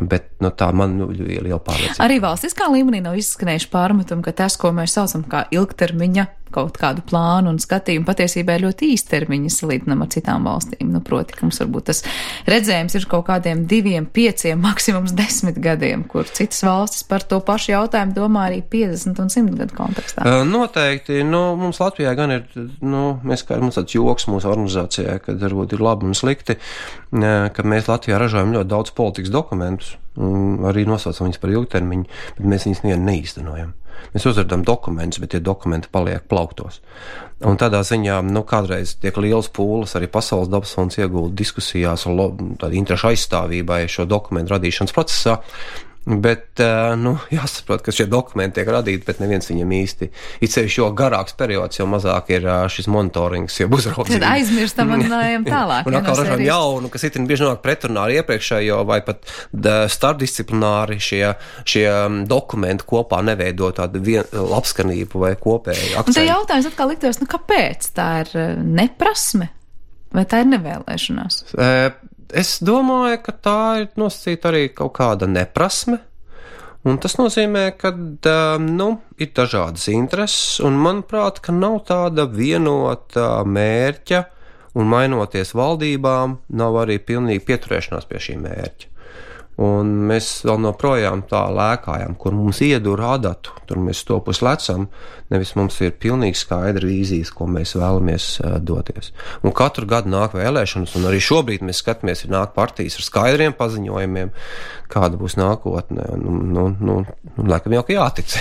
bet, nu, tā man nu, ir liela pārliecība. Arī valstiskā līmenī nav izskanējuši pārmetumi, ka tas, ko mēs saucam kā ilgtermiņa kaut kādu plānu un skatījumu, patiesībā ir ļoti īstermiņa salīdzinām ar citām valstīm. Nu, proti, ka mums varbūt tas redzējums ir kaut kādiem diviem, pieciem, maksimums desmit gadiem, kur citas valstis par to pašu jautājumu domā arī piecdesmit un simt gadu kontekstā. Noteikti. Nu, mums Latvijā gan ir, nu, mēs kā mums tāds joks mūsu organizācijā, kad varbūt ir labi un slikti, ka mēs Latvijā ražojam ļoti daudz politikas dokumentus, un arī nosaucam viņus par ilgtermiņu, bet mēs viņus nevienu neīstenojam. Mēs uzradām dokumentus, bet tie dokumenti paliek plauktos. Un tādā ziņā, nu, kādreiz tiek liels pūles arī Pasaules dabas fonds iegulda diskusijās un tādu interešu aizstāvībai šo dokumentu radīšanas procesā. Bet, nu, jāsaprot, ka šie dokumenti tiek radīti, bet neviens viņam īsti, it sevišķi jo garāks periods, jo mazāk ir šis monitorings, jau uzraudzība. Tad aizmirstam un ejam tālāk. Un atkal ražam jaunu, kas itin bieži nonāk pretrunā ar iepriekšējo, vai pat starpdisciplināri šie, šie dokumenti kopā neveido tādu vien, labskanību vai kopēju akcentu. Un te jautājums atkal liktos, nu, kāpēc? Tā ir neprasme vai tā ir nevēlēšanās? E, Es domāju, ka tā ir nosacīta arī kaut kāda neprasme, un tas nozīmē, ka, nu, ir dažādas intereses, un manuprāt, ka nav tāda vienota mērķa, un mainoties valdībām, nav arī pilnīgi pieturēšanās pie šī mērķa. Un mēs vēl noprojām tā lēkājam, kur mums iedur adatu, tur mēs stopus lecam, nevis mums ir pilnīgi skaidra vīzijas, ko mēs vēlamies uh, doties. Un katru gadu nāk vēlēšanas, un arī šobrīd mēs skatāmies, ir nāk partijas ar skaidriem paziņojumiem, kāda būs nākotne. Nu, nu, nu, nu laikam jau, ka jātic.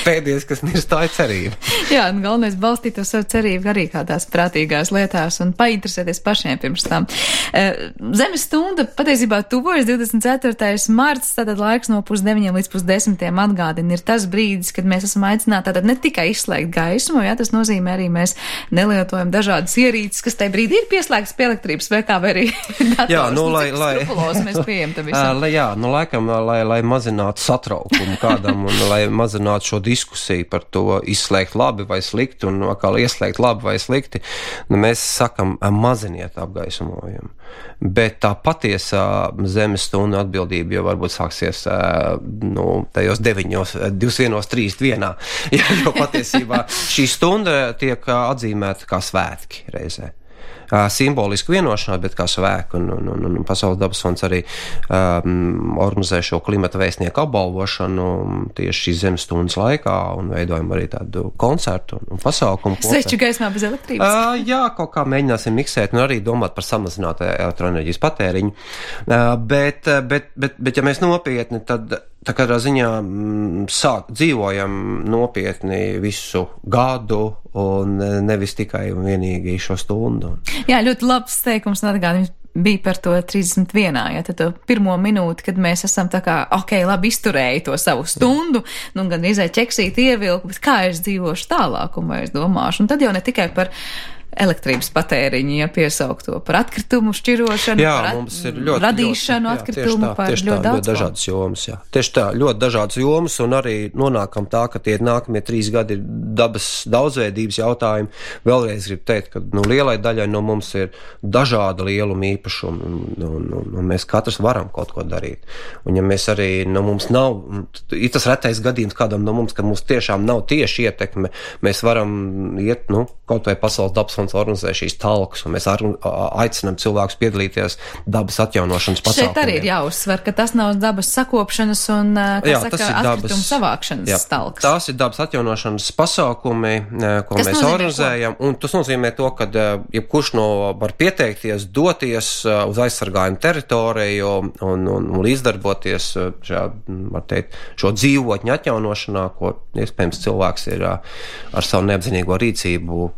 Pēdējais, kas mirst, tā ir cerība. Jā, un galvenais balstīt to savu cerību arī kādās prātīgās lietās un painteresēties pašiem pirms tam. Zemes stunda patiesībā tuvojas divdesmit ceturtais marts, tātad laiks no pusdeviņiem līdz pusdesmitiem atgādina ir tas brīdis, kad mēs esam aicināti tātad ne tikai izslēgt gaismu, jā, tas nozīmē arī mēs nelietojam dažādas ierīces, kas tajā brīdī ir pieslēgtas pie elektrības vai kā vai arī dators. Jā, nu, lai, lai, mēs pieejam tam visam. Lai, jā, nu, laikam, lai, lai mazinātu satraukumu kādam un lai mazinātu šo diskusiju par to izslēgt labi vai slikti un atkal ieslēgt labi vai slikti, nu, mēs sakam, maziniet apgaismojumu. Bet tā patiesā zemes stunda atbildība jau varbūt sāksies, nu, tajos deviņos, divdesmit trīs vienā, jo patiesībā šī stunda tiek atzīmēta kā svētki reizē. Simboliski vienošanās, bet kā svēku, un, un, un, un Pasaules dabas fonds arī um, organizē šo klimata vēstnieku apbalvošanu tieši šīs zemes stundas laikā, un veidojam arī tādu koncertu un, un pasaukumu. Sveču gaismā bez elektrības? Uh, jā, kaut kā mēģināsim miksēt, un arī domāt par samazinātu elektroenerģijas patēriņu. Uh, bet, bet, bet, bet, ja mēs nopietni, tad tā kādā ziņā m, sāk, dzīvojam nopietni visu gadu un nevis tikai un vienīgi šo stundu. Jā, ļoti labs teikums un atgādījums bija par to trīsdesmit vienā, ja tad to pirmo minūti, kad mēs esam tā kā, ok, labi izturēju to savu stundu, nu gan izai ķeksīt ievilku, bet kā es dzīvošu tālāk un vai es domāšu. Un tad jau ne tikai par elektrības patēriņu, ja piesaukt to par atkritumu šķirošanu, jā, par mums ir ļoti, radīšanu ļoti, atkritumu, jā, par tieši tā, ļoti daudz. Ļoti dažādas jomas, jā. Tieši tā, ļoti dažādas jomas, un arī nonākam tā, ka tie nākamie trīs gadi ir dabas daudzveidības jautājumi. Vēlreiz gribu teikt, ka, nu, lielai daļai no mums ir dažāda lieluma īpašuma, un, un, un, un mēs katrs varam kaut ko darīt. Un ja mēs arī, nu, mums nav, ir tas retais gadījums kādam no mums, ka mums tiešām nav tieši ietekme, mēs varam iet, nu, kaut vai Pasaules dabas fonds organizē šīs talkas, un mēs ar, aicinām cilvēkus piedalīties dabas atjaunošanas pasākumiem. Šeit arī ir jāuzsver, ka tas nav dabas sakopšanas un, kā jā, saka, atkritumu savākšanas jā, talkas. Tās ir dabas atjaunošanas pasākumi, ko kas mēs organizējam, ko? Un tas nozīmē to, ka jebkurš no var pieteikties, doties uz aizsargājumu teritoriju un, un, un līdzdarboties šajā, var teikt, šo dzīvotņu atjaunošanā, ko iespējams cilvēks ir ar savu neapzinīgo rīcību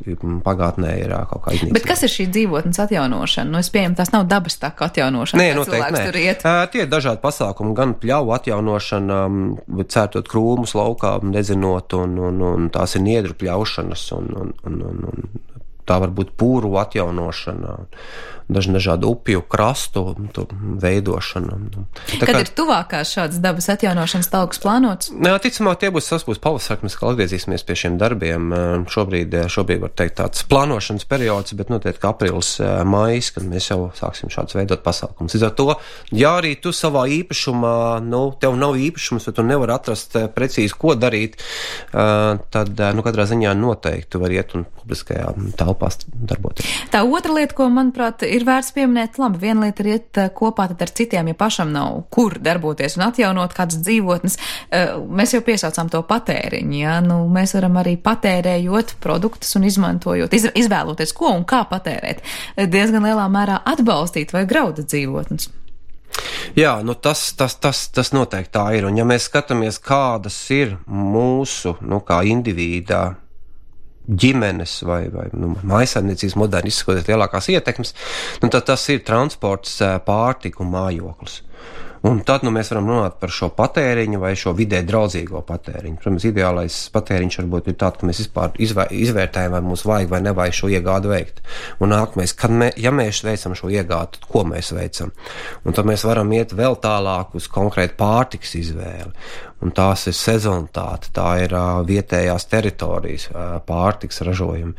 pagātnē ir kaut kā iznīcinājums. Bet kas ir šī dzīvotnes atjaunošana? Nu, es pieņemu, tās nav dabas taka atjaunošana. Nē, noteikti nē. Uh, tie ir dažādi pasākumi, gan pļauju atjaunošana, cērtot krūmus laukā, nedzinot, un, un, un tās ir niedru pļaušanas, un, un, un, un, un tā var būt pūru atjaunošana, daži dažādu upju krastu veidošana. Tā Kad kā, ir tuvākās šādas dabas atjaunošanas talkas plānotas? Jā, ticamāk, tie būs, tas būs pavasar, mēs kā atgriezīsimies pie šiem darbiem. Šobrīd, šobrīd var teikt tāds plānošanas periods, bet noteikti aprīlis, maijs, kad mēs jau sāksim šādus veidot pasākumus. Līdz ar to, ja arī tu savā īpašumā, nu, tev nav īpašums, vai tu nevar atrast precīzi, ko darīt, tad, nu, katrā ziņā noteikti tu var iet un publiskajā telpās darboties. Tā otra lieta, ko, manuprāt, ir vērts pieminēt, labi, viena lieta ir iet kopā tad ar citiem, ja pašam nav kur darboties un atjaunot kādas dzīvotnes. Mēs jau piesaucām to patēriņu, ja? Nu, mēs varam arī patērējot produktus un izmantojot, iz, izvēloties, ko un kā patērēt, diezgan lielā mērā atbalstīt vai grauda dzīvotnes. Jā, nu tas, tas, tas, tas noteikti tā ir, un ja mēs skatāmies, kādas ir mūsu, nu, kā individā, ģimenes vai, vai nu, mājsaimniecības moderni izsakoties lielākās ietekmes, nu, tad tas ir transports, pārtika un mājoklis. Un tad nu, mēs varam runāt par šo patēriņu vai šo vidē draudzīgo patēriņu. Protams, ideālais patēriņš varbūt ir tāds, ka mēs vispār izvēr, izvērtējam, vai mums vajag vai nevajag šo iegādu veikt. Un nākamais, kad mē, ja mēs veicam šo iegādu, tad ko mēs veicam? Un tad mēs varam iet vēl tālāk uz konkrētu pārtikas izvēli. Un tās ir sezonitāte, tā ir uh, vietējās teritorijas uh, pārtikas ražojumi.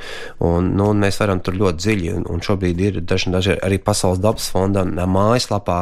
Un, nu, un mēs varam tur ļoti dziļi, un, un šobrīd ir daži, daži arī Pasaules dabas fonda mājaslapā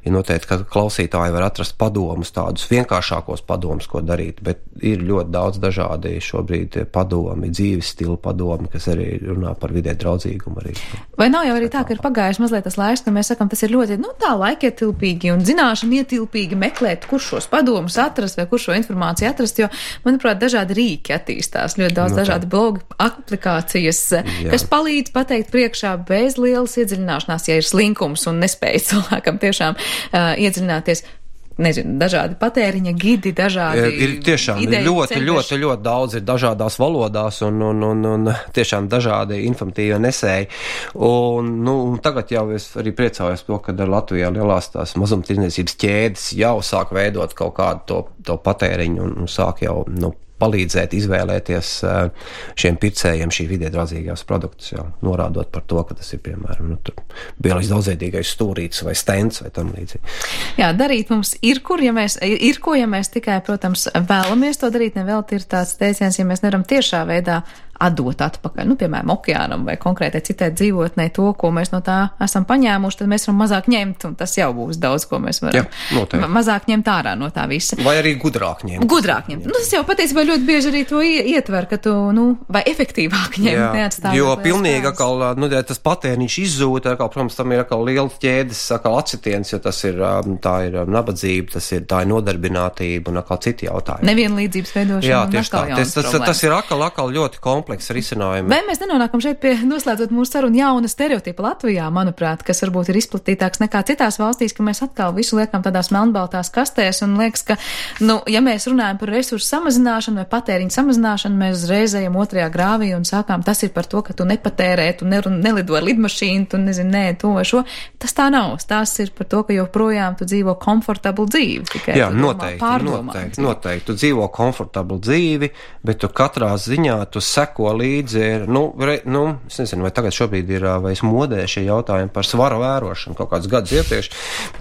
ir noteikti, ka klausītāji var atrast padomus, tādus vienkāršākos padomus, ko darīt, bet ir ļoti daudz dažādi šobrīd padomi, dzīves stila padomi, kas arī runā par vidē draudzīgumu arī. Vai nav jau arī tā, ka ir pagājuši mazliet tas laiks, ka mēs sakam, tas ir ļoti, nu, tā laikietilpīgi un zināšana ietilpīgi meklēt, kur šos padomus atrast, kur šo informāciju atrast, jo, manuprāt, dažādi rīki attīstās, ļoti daudz no dažādi blogi, aplikācijas, Jā. kas palīdz pateikt priekšā bez lielas iedziļināšanās, ja ir slinkums un nespēja cilvēkam tiešām uh, iedziļināties. Nezinu, dažādi patēriņa gidi, dažādi ir tiešām ideju, ļoti, ceļveši. ļoti, ļoti daudz ir dažādās valodās un, un, un, un tiešām dažādi informatīvi nesēji. Un, nu, tagad jau es arī priecājos to, ka Latvijā lielās tās mazumtirdzniecības ķēdes jau sāk veidot kaut kādu to, to patēriņu un, un sāk jau, nu, palīdzēt izvēlēties šiem pircējiem šī vidē draudzīgās produktus, jau norādot par to, ka tas ir, piemēram, nu, tur bioloģiski daudzveidīgais stūrītis vai stends vai tam līdzīgi. Jā, darīt mums ir, kur, ja mēs, ir ko, ja mēs tikai, protams, vēlamies to darīt, nevēlti ir tāds teiciens, ja mēs nevaram tiešā veidā atdot atpakaļ, nu, piemēram, okeānam vai konkrētai citai dzīvotnei to, ko mēs no tā esam paņēmuši, tad mēs varam mazāk ņemt, un tas jau būs daudz, ko mēs varam Jā, mazāk ņemt ārā no tā visa. Vai arī gudrāk ņemt. Gudrāk ņemt. Nu, tas jau patiesībā ļoti bieži arī to ietver, ka tu, nu, vai efektīvāk ņemt, neatstājot. Jo pilnīgi atkal, nu, tas patēriņš izzūd, atkal, protams, tam ir atkal liela ķēdes, atkal acitiens, jo tas ir, tā ir nabadzība, tas ir, tā ir nodarbinātība un atkal citi jautājumi. Nevienlīdzības veidošana. Jā, tieši tā. Tas, tas, tas ir atkal, atkal ļoti komplekss risinājumi. Vai mēs nenonākam šeit pie, noslēdzot mūsu sarunu, jauna stereotipa Latvijā, manuprāt, kas varbūt ir izplatītāks nekā citās valstīs, ka mēs atkal visu liekam tādās melnbaltās kastēs un liekas, ka, nu, ja mēs runājam par resursu samazināšanu vai patēriņu samazināšanu, mēs uzreiz ejam otrajā grāvī un sākām, tas ir par to, ka tu nepatērē, tu ne, nelido ar lidmašīnu, tu nezini, nē, to vai šo. Tas tā nav. Tas ir par to, ka joprojām tu dzīvo komfortablu dzīvi. Tikai Jā, noteikti, noteikti, noteikti. Tu dzīvo komfortablu dzīvi, bet tu katrā ziņā tu seko līdzi, ir, nu, re, nu, es nezinu, vai tagad šobrīd ir, vai es modē šie jautājumi par svara vērošanu kaut kādus gadus iepriekš,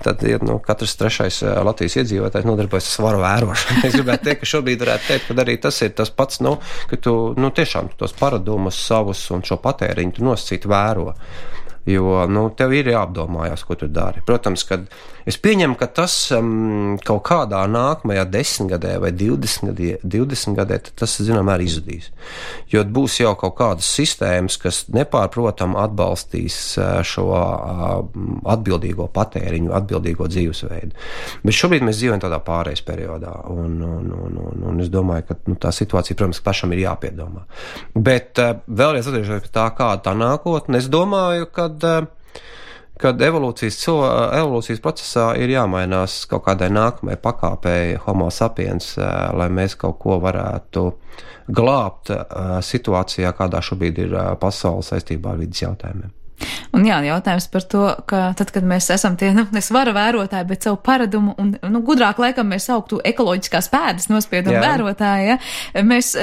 tad, nu, katrs trešais Latvijas iedzīvotājs nodarbojas ar svara vērošanu. Es gribētu teikt, ka šobrīd varētu teikt, ka arī tas ir tas pats, nu, ka tu, nu, tiešām tos paradumus savus un šo patēriņu tu nosacīt vēro. Jo, nu, tev ir jāapdomājās, ko tu dari. Protams, kad es pieņemu, ka tas um, kaut kādā nākamajā desmitgadē vai divdesmit gadē, tad tas, zinām, arī izzudīs. Jo būs jau kaut kādas sistēmas, kas nepārprotam atbalstīs šo atbildīgo patēriņu, atbildīgo dzīvesveidu. Bet šobrīd mēs dzīvojam tādā pārejas periodā, un, un, un, un, un es domāju, ka nu, tā situācija, protams, pašam ir jāpiedomā. Bet vēlreiz atgriežoties pie tā, kāda tā nākotne, es domāju, ka kad evolūcijas, evolūcijas procesā ir jāmainās kaut kādai nākamai pakāpei homo sapiens, lai mēs kaut ko varētu glābt situācijā, kādā šobrīd ir pasaule saistībā ar vidas jautājumiem. Un jā, jautājums par to, ka tad, kad mēs esam tie, nu, nesvara vērotāji, bet savu paradumu, un, nu, gudrāk laikam mēs sauktu ekoloģiskās pēdas nospiedumu vērotāji, ja, mēs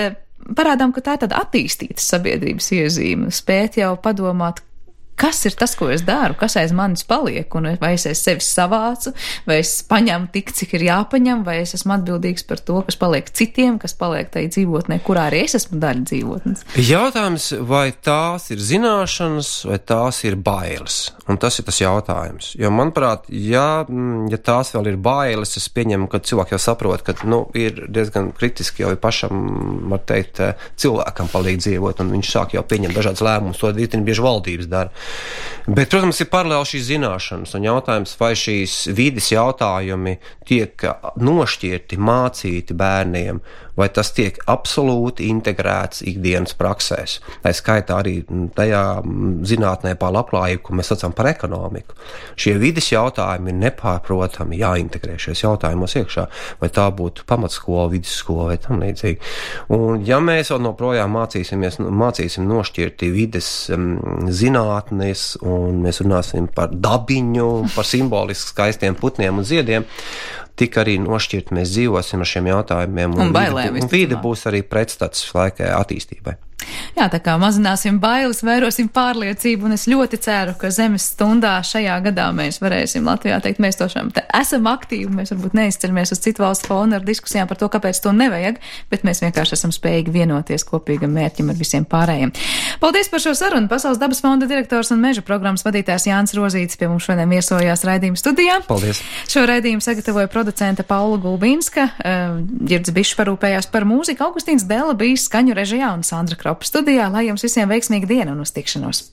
parādām, ka tā ir tāda attīstīta sabiedrības iezīme, spēt jau padomāt, kas ir tas, ko es daru, kas aiz manis paliek, un vai es aiz sevis savācu, vai es paņemu tik, cik ir jāpaņem, vai es esmu atbildīgs par to, kas paliek citiem, kas paliek tai dzīvotnē, kurā arī es esmu daļa dzīvotnes. Jautājums, vai tās ir zināšanas, vai tās ir bailes, un tas ir tas jautājums. Jo, manuprāt, ja, ja tās vēl ir bailes, es pieņemu, ka cilvēki jau saprot, ka, nu, ir diezgan kritiski jau pašam, var teikt, cilvēkam palīdz dzīvot, un viņš sāk jau pieņemt dažādas lēmumus, to diezgan bieži valdības dara. Bet, protams, ir paralēli šīs zināšanas, un jautājums, vai šīs vides jautājumi tiek nošķirti, mācīti bērniem, vai tas tiek absolūti integrēts ikdienas praksēs. Tā skaitā arī tajā zinātnē pār labklājību, ko mēs saucam par ekonomiku. Šie vides jautājumi ir nepārprotami jāintegrē šajos jautājumos iekšā, vai tā būtu pamatskola, vidusskola vai tam līdzīgi. Un ja mēs vēl noprojām mācīsimies, mācīsim nošķirti vides um, zinātnes, un mēs runāsim par dabiņu, par simboliski skaistiem putniem un ziediem, tik arī nošķirt mēs dzīvosim ar šiem jautājumiem, un, un, bailēm, vide, un vide būs arī pretstats laikai attīstībai. Jā, tā kā mazināsim bailes, vairosim pārliecību, un es ļoti ceru, ka Zemes stundā šajā gadā mēs varēsim Latvijā teikt, mēs tošām te esam aktīvi, mēs varbūt neizceļamies uz citu valstu fonu ar diskusijām par to, kāpēc to nevajag, bet mēs vienkārši esam spējīgi vienoties kopīgam mērķim ar visiem pārējiem. Paldies par šo sarunu. Pasaules dabas fonda direktors un meža programmas vadītājs Jānis Rozītis pie mums šodien viesojās raidījuma studijā. Paldies. Šo raidījumu sagatavoja producente Paula Gulbinska, Ģirds Bišs parūpējās par mūziku, Augustīns Dela bija skaņu režijā un Sandra Kropa studijā, lai jums visiem veiksmīga diena un uz tikšanos.